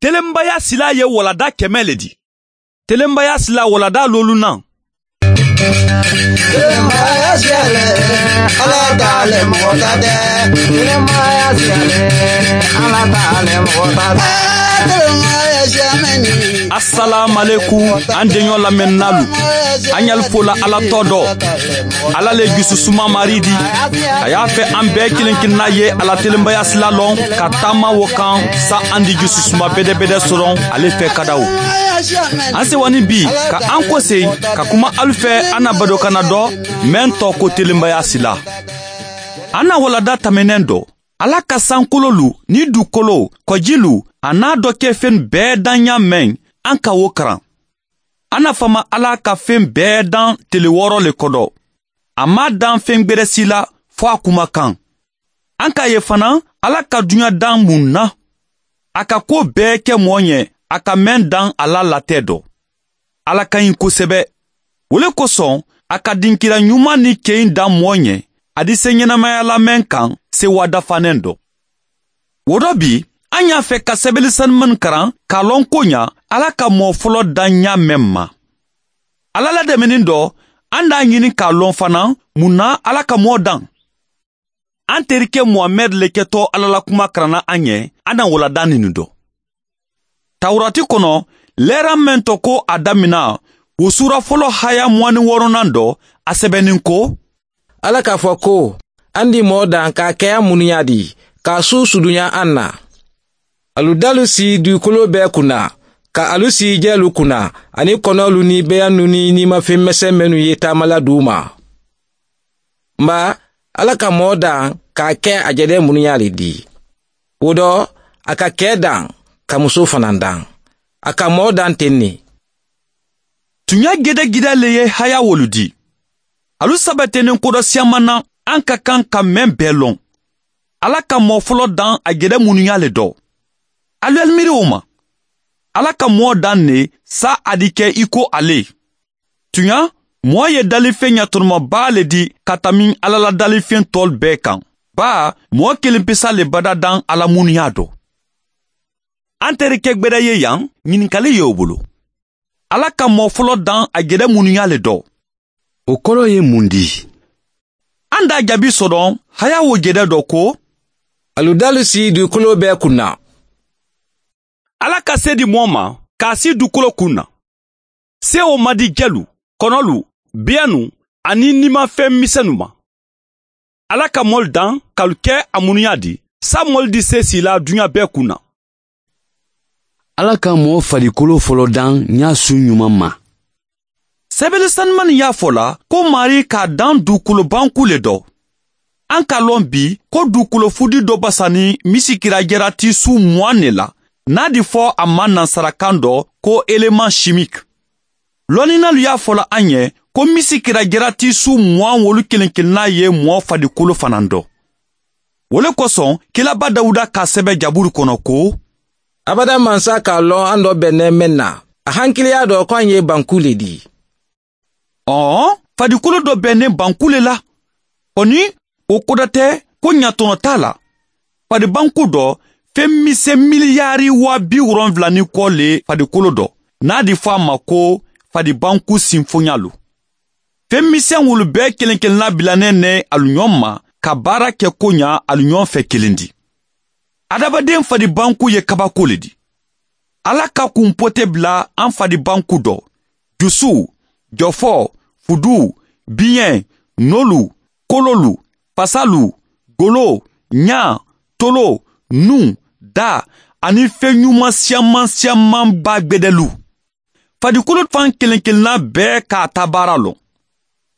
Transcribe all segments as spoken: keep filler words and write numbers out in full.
Telenbaya silaa ye walada kɛmɛ le di. Telenbaya silaa walada loolunaŋ. Asalaamualekum, an deɲɔ lamɛnnaalu. An ɲali fo la Ala tɔgɔ dɔ. Ala le jususuma maari di. A y'a fɛ an bɛɛ kelen-kelenna ye a la telenbaya sila lɔn ka taama wo kan, sa an di jususuma bedebede sɔrɔ ale fɛ kadaw. An sewa ni bi ka an kose ka kuma alu fɛ an na badokana dɔ, meŋ tɔgɔ ko telenbaya sila. An na walada tɛmɛnen dɔ, Ala ka sankololu ni dukolo, kɔjilu, a n'a dɔ kɛ feŋ bɛɛ daɲa meŋ, an ka wo karan. An na fama Ala ka feŋ bɛɛ dan tele wɔɔrɔ le kɔdɔ. A m'a dan feŋ gberɛ si la fo a kuma kan. An k'a ye fana, Ala ka duɲa dan mun na. A ka ko bɛɛ kɛ mɔɔ ɲɛ, a ka meŋ dan a la latɛ dɔ. Ala ka ɲi kosɛbɛ. Wo le kosɔn, a ka dinkira ɲuman ni keyi dan mɔɔ ɲɛ, a di se ɲɛnamaya la meŋ kan, se waadafanen dɔ. Wo dɔ bi, an y'a fɛ ka sɛbɛli sanumani karan k'a lɔn ko ɲa, Ala ka mɔɔ fɔlɔ dan ɲa meŋ ma. Ala la dɛmɛni dɔ, an d'a ɲini k'a lɔn fana, mun na Ala ka mɔɔ dan. An terikɛ muhamɛdi le kɛtɔ Ala la kuma karanna an ye, an na walada nini dɔ. Tawurati kɔnɔ, lɛɛra meŋ tɔgɔ ko a damina, wo suura fɔlɔ haya muwani wɔɔrɔnan dɔ, a sɛbɛnin ko, Ala k'a fɔ ko, an di mɔɔ dan k'a kɛ an munuya di, k'a su sudunya an na. Alu dalu si dukolo bɛɛ kunna, ka alu si jɛlu kunna, ani kɔnɔlu ni beyannu ni nimafeŋ mɛsɛn mennu ye taamala di u ma. N ba, Ala ka mɔɔ dan k'a kɛ a jɛdɛ munuya le di. Wo dɔ, a ka kɛ dan ka muso fana dan. A ka mɔɔ dan ten ne. Tuɲa gedegide le ye haya wolu di. Alu sabɛtenen kodɔ siyaman na, an ka kan ka meŋ bɛɛ lɔn. Ala ka mɔɔ fɔlɔ dan a gedɛ munuya le dɔ. Alu yali miiri wo ma. Ala ka mɔɔ dan ne sa a di kɛ i ko ale. Tuɲa, mɔɔ ye dalifeŋ ɲatoromabaa le di ka tami Ala la dalifeŋ tɔlu bɛɛ kan. Baa, mɔɔ kelen pesa le bada dan Ala munuya dɔ. An terikɛ gberɛ ye yan, ɲininkali ye o bolo. Ala ka mɔɔ fɔlɔ dan a gedɛ munuya le dɔ. O kɔrɔ ye mun di? An da jaabi sɔrɔ haya wo gedɛ dɔ ko, alu dalu si dukolo bɛɛ kunna. Ala ka se di mɔɔ ma k'a si dukolo kunna. Se o ma di jɛlu, kɔnɔlu, beyannu, ani nimafeŋ misɛnnu ma. Ala ka mɔlu dan k'alu kɛ a munuya di, sa mɔlu di se sila duɲa bɛɛ kunna. Ala ka mɔɔ farikolo fɔlɔ dan ɲa su ɲuman ma. Sɛbɛli sanumani y'a fɔ la ko maari k'a dan dukolo banku le dɔ. An ka lɔn bi ko dukolo fudi dɔ basa ni misikira jarati su muwan ne la, n'a di fɔ a ma nansarakan dɔ ko eleman simiki. Lɔnninnalu y'a fɔ la an ye ko misikira jarati su muwan wolu kelen-kelenna ye mɔɔ fadikolo fana dɔ. Wo le kosɔn, kilaba dawuda k'a sɛbɛ jaburu kɔnɔ ko, abada mansa k'a lɔn an dɔ bɛnnen meŋ na, a hankiliya dɔ ko an ye banku le di. Ɔɔ, fadikolo dɔ bɛnnen banku le la. Ɔ ni o koda tɛ ko ɲatɔnɔ t'a la. Fadibanku dɔ, feŋ misɛn miliyari waa bi wolonwula ni kɔ le fadikolo dɔ, n'a di fɔ a ma ko fadibanku sinfoɲalu. Feŋ misɛn wolu bɛɛ kelen-kelenna bilannen ne alu ɲɔgɔn ma ka baara kɛ ko ɲa alu ɲɔgɔn fɛ kelen di. Adamaden fadibanku ye kabako le di. Ala ka kunpo tɛ bila an fadibanku dɔ, jusu, jɔfɔ, fudu, biɲɛ, nolu, kololu, fasalu, golo, ɲa, tolo, nun, da, ani feɲuman siyaman siyaman ba gbedɛlu. Fadikolo fan kelen-kelenna bɛɛ k'a ta baara lɔn.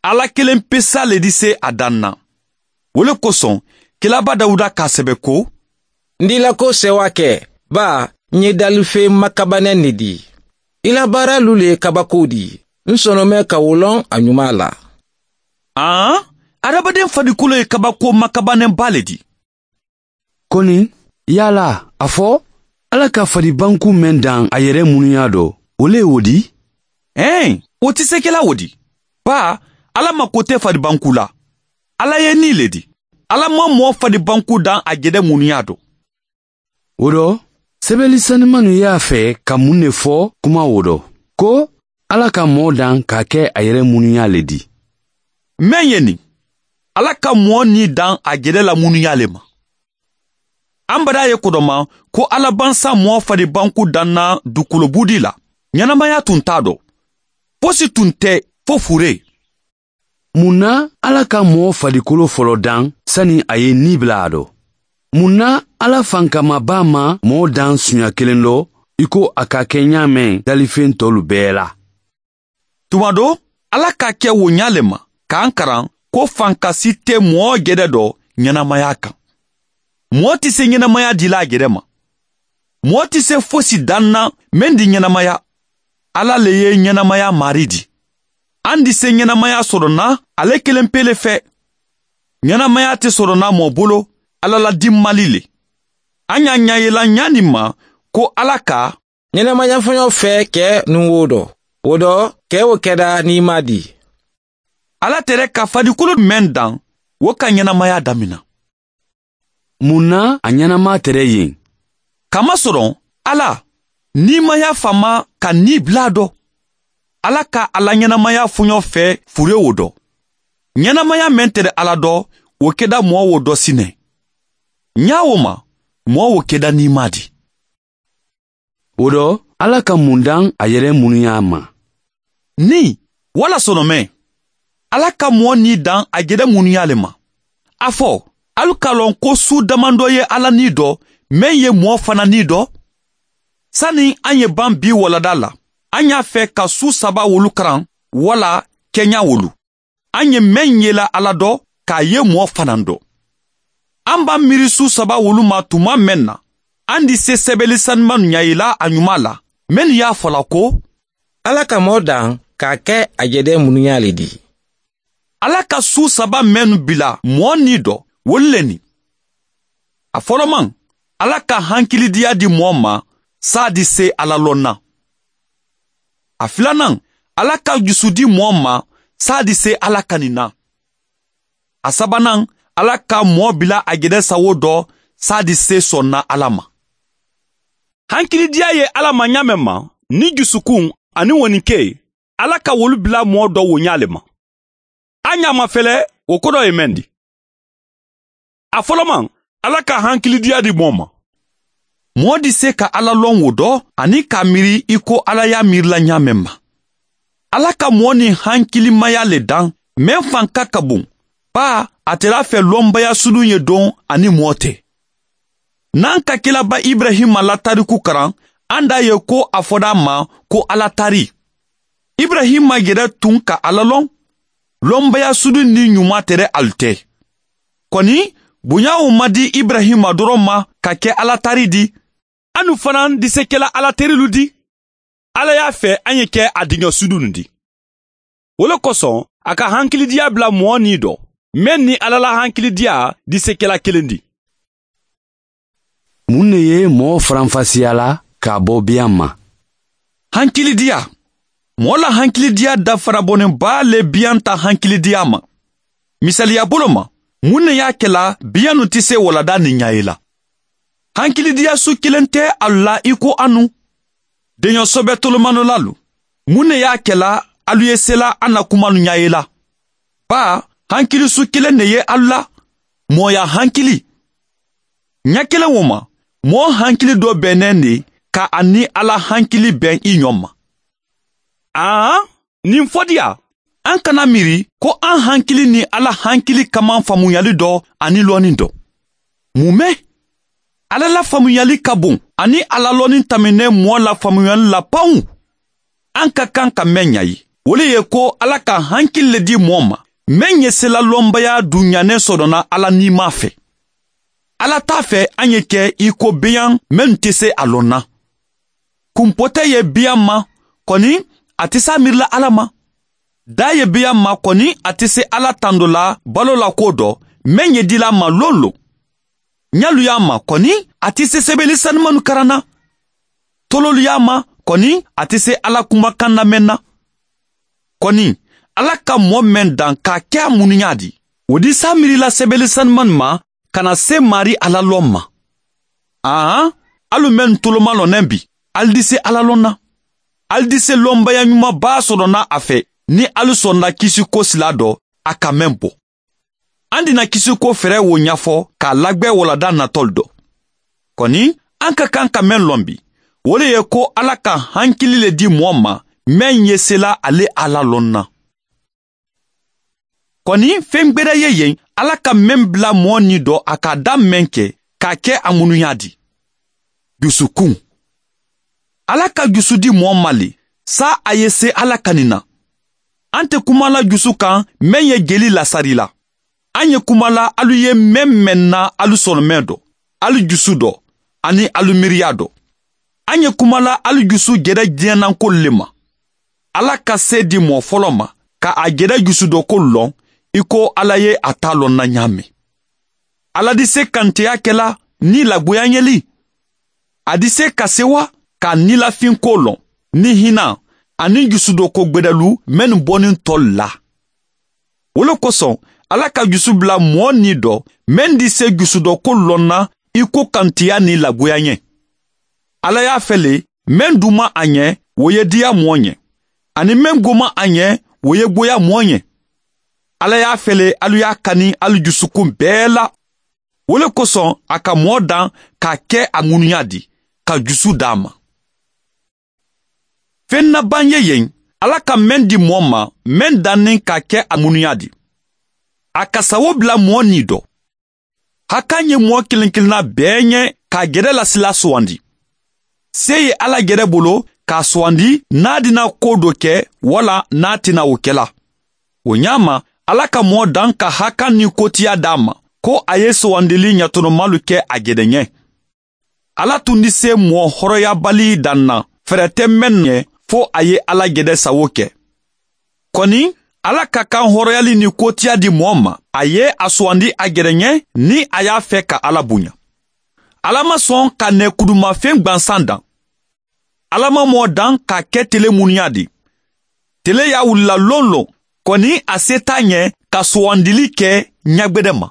Ala kelen pesa le di se a dan na. Wo le kosɔn, kilaba dawuda k'a sɛbɛ ko, n dila ko sewa kɛ, baa, n ye dalifen makabanɛ ne di. I la baaralu le ye kabako di. N sɔnɔmɛ ka wo lɔn a ɲuman la. An, adamaden fadikolo ye kabako makabanɛba le di. Koni, yala a fɔ, Ala ka fadibanku meŋ dan a yɛrɛ munuya dɔ, o le ye wo di? Ɛɛ, o ti sekela wo di. Baa, Ala mako tɛ fadibanku la. Ala ye ni le di. Ala ma mɔɔ fadibanku dan a jedɛ munuya dɔ. Wo dɔ, Sebeli sanimannu ye a fee ka muŋ ne fo kuma wo do, ko alla ka moo daŋ ka a ke a yere munuyaa le di? Meŋ ye niŋ, alla ka moo nii daŋ a jede la munuyaa le ma. Aŋ badaa ye kodoma ko alla baŋ saŋ moo fadi banku daŋ na dukulo buudi la, ñanamaya tuŋ taa do fosi tuŋ te fo furee. Muŋ na alla ka moo fadikolo folo daŋ sani a ye nii bula a do? Muŋ na alla fankama baa ma moo daŋ suuña kiliŋ do i ko a ka ke ñaameŋ dalifeŋ toolu bee la? Tuma do, alla ka a ke wo ñaa le ma ka a karaŋ ko fanka si te moo jede do ñanamaya kaŋ. Moo ti se ñanamaya dila a jede ma. Moo ti se fosi daŋ na meŋ di ñanamaya. Alla le ye ñanamaya maarii di. Aŋ di se ñanamaya soto na ale kelempe le fee. Ñanamaya te soto na moo bulu alla la dimmali le. A ñaa ñaa ye la ñaaniŋ ma ko alla ka ñanamaya foñoo fee ke nuŋ wo do, wo do ke wo keda niimaa di. Alla tere ka fadikulu meŋ daŋ wo ka ñanamaya damina. Muŋ na a ñanamaa tere yeŋ? Kamasoroŋ, alla niimayaa famaa ka nii bula a do. Alla ka a la ñanamayaa foñoo fee furewo do. Ñanamayaa meŋ tere alla do, wo keda moo wo do si ne. Ñaa wo ma, moo wo keda niimaa di. Wo do, alla ka muŋ daŋ a yere munuyaa ma? Nii walla sono meŋ, alla ka moo nii daŋ a jede munuyaa le ma. A fo, alu ka loŋ ko suu damandoo ye alla nii do meŋ ye moo fana nii do. Sani aŋ ye baŋ bii waladaa la, aŋ ye a fee ka suu saba wolu karaŋ walla keñaa wolu. Aŋ ye meŋ yela alla do ka a ye moo fanaŋ do. Aŋ baŋ miiri suu saba wolu ma tumaa meŋ na, aŋ di se sebeli sanimaŋ ñayila a ñumaa la, mennu ye a fo la ko, alla ka moo daŋ ka a ke a jede munuyaa le di. Alla ka suu saba mennu bila moo nii do, wolu le ni. A folomaŋ, alla ka hankilidiyaa di moo ma saadi se alla loŋ na. A filanaŋ, alla ka jusu di moo ma saadi se alla kani na. A sabanaŋ, alla ka moo bila a jede sawo do saadi se sonna alla ma. Hankilidiyaa ye alla ma ñaameŋ ma, niŋ jusukuŋ aniŋ woninkee, alla ka wolu bila moo do wo ñaa le ma. A ñaama fele wo kodoo ye meŋ di? A folomaŋ, alla ka hankilidiyaa di moo ma. Moo di se ka alla loŋ wo do aniŋ ka a miiri i ko alla ye a miiri la ñaameŋ ma. Alla ka moo niŋ hankilimaya le daŋ meŋ fanka ka buŋ, baa a te la a fee lombaya suduŋ ye doŋ aniŋ moo te. Naŋ ka kila ba iburahima la tariku karaŋ, aŋ daa ye ko a fodaa ma ko alla tari. Iburahima yere tuŋ ka alla loŋ. Lombaya suduŋ niŋ ñumaa tere alu te. Koni, buñaa wo ma di iburahima doroŋ ma ka ke alla tari di. Anu fanaŋ di se kela alla terilu di. Alla ye a fee aŋ ye ke a diŋo sudunu di. Wo le kosoŋ, a ka hankilidiyaa bula moo nii do meŋ niŋ alla la hankilidiyaa di se kela kiliŋ di. Muŋ ne ye moo faranfasiya la ka a bo biyaŋ ma? Hankilidiyaa. Moo la hankilidiyaa dafara boneŋ baa le biyanta hankilidiyaa ma. Misaliyaa bolo ma, muŋ ne ye a ke la biyaŋo ti se waladaa niŋ ñaayi la? Hankilidiyaa su kiliŋ te alu la i ko anu. Deño sobe tolomanolaalu, muŋ ne ye a ke la alu ye sela a na kumaanu ñaayi la? Baa, hankili su kiliŋ ne ye alu la. Mooyaa hankili. Ña kiliŋ wo ma, moo hankili doo be neŋ ne ka a niŋ alla hankili beŋ i ñoŋ ma. Aa, ñiŋ fodiyaa, aŋ kana miiri ko aŋ hankili niŋ alla hankili ka maŋ faamuyali do aniŋ looniŋ do. Mume, alla la faamuyali ka buŋ aniŋ a la looniŋ tamine moo la faamuyali la pawuŋ. Aŋ ka kaŋ ka meŋ ñayi, wo le ye ko alla ka hankili le dii moo ma meŋ ye sela lombaya duŋ ñaneŋ sodona alla niimaa fe. Alla taa fe aŋ ye ke i ko beyaŋ mennu te se a loŋ na. Kumpotee ye beyaŋ ma, koni a te se a miiri la alla ma. Daa ye beyaŋ ma koni a te se alla tando la baloo la kuwo do meŋ ye dila a ma loŋ loŋ. Ñalu ye a ma koni a te se sebeeli sanimannu karaŋ na. Toloolu ye a ma koni a te se alla kumakaŋ na meŋ na. Koni, alla ka moo meŋ daŋ ka a ke a munuñaa di, wo di se a miiri la sebeeli sanimannu ma ka na se maarii alla loŋ ma. Aa, ali mennu tolomalɔnnɛ bi, ali dise ala lɔnna. Ali dise lɔnbaya ɲuman baa sɔrɔna a fɛ. Ni ali sɔnna kisiko sila dɔ, a ka men bo. An dina kisiko fɛrɛ wo ɲafɔ k'a lagwɛ walada natɔli dɔ. Kɔni, an ka kan ka men lɔn bi, wo le ye ko ala ka hankili le di mɔɔ ma, men ye sela ale ala lɔnna. Kɔni, fen gbereya ye yen, ala ka men bila mɔɔ ni dɔ a k'a da men kɛ, k'a kɛ a munuɲa di. Jusukun. Ala ka jusu di mɔɔ ma le, saa a ye se ala kanin na. An te kuma la jusu kan, men ye jeli lasarila. An ye kuma la alu ye men men na alu sɔnɔmɛ dɔ, alu jusu dɔ, ani alu miiriya dɔ. An ye kuma la alu jusu jɛrɛ diɲɛnankolu le ma. Ala ka se di mɔɔ fɔlɔ ma, ka a jɛrɛ jusu dɔ kolu lɔn, i ko ala ye a ta lɔnna ɲaamen. Ala dise kanteya kɛla ni lagoyaɲɛli. A dise ka sewa k'a nilafinko lɔn, ni hinan, ani jusudoko gberɛlu mennu bɔnin tɔlu la. Wo le kosɔn, ala ka jusu bila mɔɔ ni dɔ, men dise jusudoko lɔnna, i ko kanteya ni lagoyaɲɛ. Ala y'a fɛ le, men duma a ɲɛ, wo ye diya mɔɔ ɲɛ, ani men goma a ɲɛ, wo ye goya mɔɔ ɲɛ. Ala y'a fɛ le, alu y'a kani alu jusukun bɛɛ la. Wo le kosɔn, a ka mɔɔ dan k'a kɛ a ŋunuɲa di, ka jusu d'a ma. Fen naban ye yen, ala ka men di mɔɔ ma, men dannin k'a kɛ a ŋunuɲa di. A ka sawo bila mɔɔ ni dɔ. Hakan ye mɔɔ kelen-kelenna bɛɛ ɲɛ k'a gɛrɛ lasila sowandi. Se ye ala gɛrɛ bolo k'a sowandi, n'a dina ko do kɛ, wala n'a tina wo kɛla. Wo ɲaama, ala ka mɔɔ dan ka hakan ni kotiya d'a ma, ko a ye sowandili ɲatɔnɔmalu kɛ a gɛrɛ ɲɛ. Ala tun dise mɔɔ hɔrɔyabali dan na, fɛrɛ tɛ men ɲɛ, fo a ye ala gɛrɛ sawo kɛ. Kɔni, ala ka kan hɔrɔyali ni kotiya di mɔɔ ma, a ye a sowandi a gɛrɛ ɲɛ, ni a y'a fɛ ka ala bonya. Ala ma sɔn ka nɛɛkudumafen gwansan dan. Ala ma mɔɔ dan k'a kɛ tele munuɲa di. Tele y'a wulila lonlon, kɔni a se t'a ɲɛ ka sowandili kɛ ɲagwedɛ ma.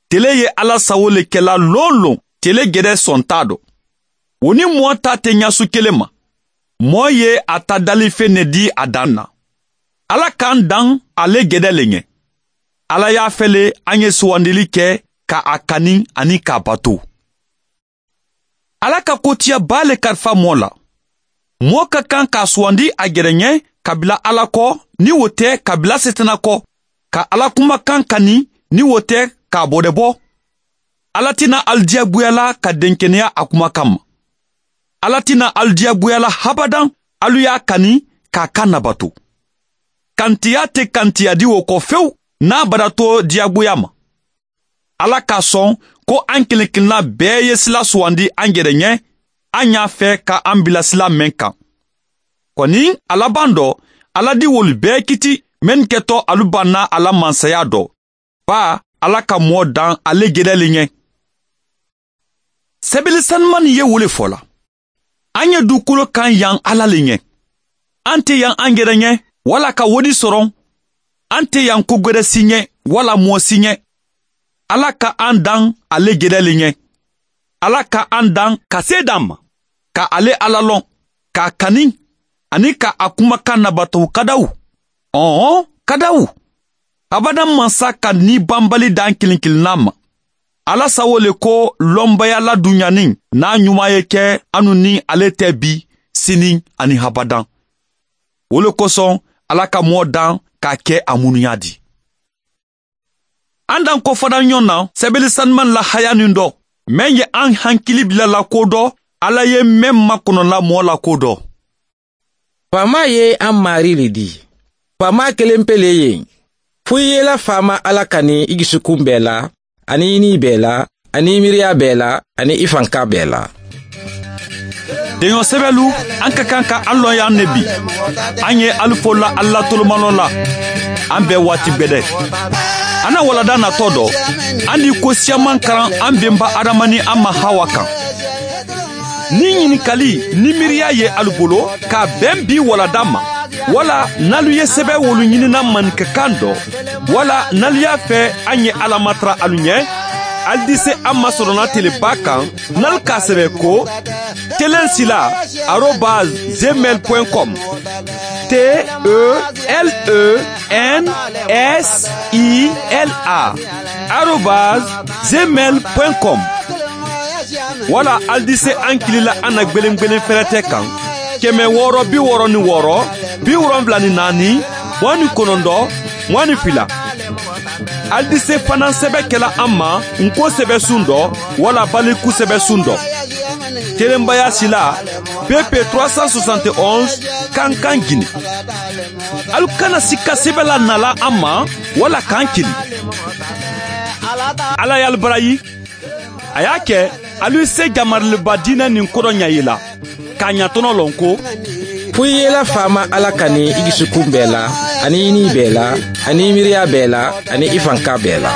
Tele ye ala sawo le kɛla lonlon, tele gɛrɛ sɔn t'a dɔ. Wo ni mɔɔ ta te ɲasu kelen ma. Mɔɔ ye a ta dalifen ne di a dan na. Ala k'an dan ale gɛrɛ le ɲɛ. Ala y'a fɛ le an ye sowandili kɛ ka a kani ani k'a bato. Ala ka kotiya baa le kalifa mɔɔ la. Mɔɔ ka kan k'a sowandi a gɛrɛ ɲɛ, kabila ala kɔ, ni wo tɛ kabila setana kɔ, ka ala kumakan kani, ni wo tɛ k'a bɔdɛbɔ. Ala tina alu diyagoya la ka denkeneya a kumakan ma. Ala tina alu diyagoya la habadan, alu y'a kani k'a kan nabato. Kantiya te kantiya di wo kɔ fewu, n'a bada to diyagoya ma. Ala k'a sɔn ko an kelen-kelenna bɛɛ ye sila sowandi an yɛrɛ ɲɛ, an y'a fɛ ka an bila sila men kan. Kɔni, a laban dɔ, Ala di wolu bɛɛ kiti, men kɛtɔ alu banna a la mansaya dɔ. Baa, Ala ka mɔɔ dan ale gɛrɛ le ɲɛ. Sɛbɛli sanumani ye wo le fɔ la. An ye dukolo kan yan Ala le ɲɛ. An tɛ yan an yɛrɛ ɲɛ, wala ka wodi sɔrɔ. An tɛ yan kogwɛrɛ si ɲɛ, wala mɔɔ si ɲɛ. Ala ka an dan ale gɛrɛ le ɲɛ. Ala ka an dan ka se dan ma, ka ale Ala lɔn, k'a kani, ani ka a kumakan nabataw kadaw. Ɔhɔn, kadaw. Abadan mansa ka ni banbali dan kelen-kelenna ma. Ala sawo le ko lɔnbaya ladunɲanin n'a ɲuman ye kɛ anu ni ale tɛ bi, sinin, ani habadan. Wo le kosɔn, Ala ka mɔɔ dan k'a kɛ a munuɲa di. An dan kɔfɔda ɲɔgɔn na, sɛbɛli sanumani la hayanin dɔ, men ye an hankili bila la ko dɔ, Ala ye men makɔnɔla mɔɔ la ko dɔ. Faama ye an Mari le di. Faama kelen pe le ye. Fo i ye la faama Ala kani i dusukun bɛɛ la, ani i ni bɛɛ la, ani i miiriya bɛɛ la, ani i fanka bɛɛ la. Deɲɔ sɛbɛlu, an ka kan ka an lɔn yan ne bi. An ye alu fo la Ala tolomalɔ la. An bɛɛ waati bɛɛ dɛ. An na walada natɔ dɔ, an di ko siyaman karan an benba Adama ni an ma Hawa kan. Ni ɲininkali ni miiriya ye alu bolo, k'a bɛn bi walada ma, wala n'alu ye sɛbɛ wolu ɲinina maninkakan dɔ, wala n'alu y'a fɛ an ye Ala matara alu ɲɛ, Alidise amma sorona telebaa kaŋ. Nal ka sebe ko telen sila arobaz zemel point com. T e l e n s i l a arobaz zemel point com. Wala alidise ankili la a na gbelengbelen ferete kaŋ keme wɔɔrɔ bi wɔɔrɔ ni wɔɔrɔ bi wolonwula ni naani muwaŋ ni konondɔ muwaŋ ni fila. Alidise fanaŋ sebe kela an ma nko sebe suŋ dɔ wala baliku sebe suŋ dɔ. Telenbaya sila pepe trois cent soixante et onze kankan gini. Alu kana sika sebe la nala an ma wala kan kili. Ala ye alu barayi. A y'a kɛ alu ye se jamariliba diinɛ nin kodɔn ɲa ye la k'a ɲatɔnɔ lɔn ko. Fo i ye i la faama ala kani i dusukun bɛɛ la, ani i ni bɛɛ la, ani i miiriya bɛɛ la, ani i fanka bɛɛ la.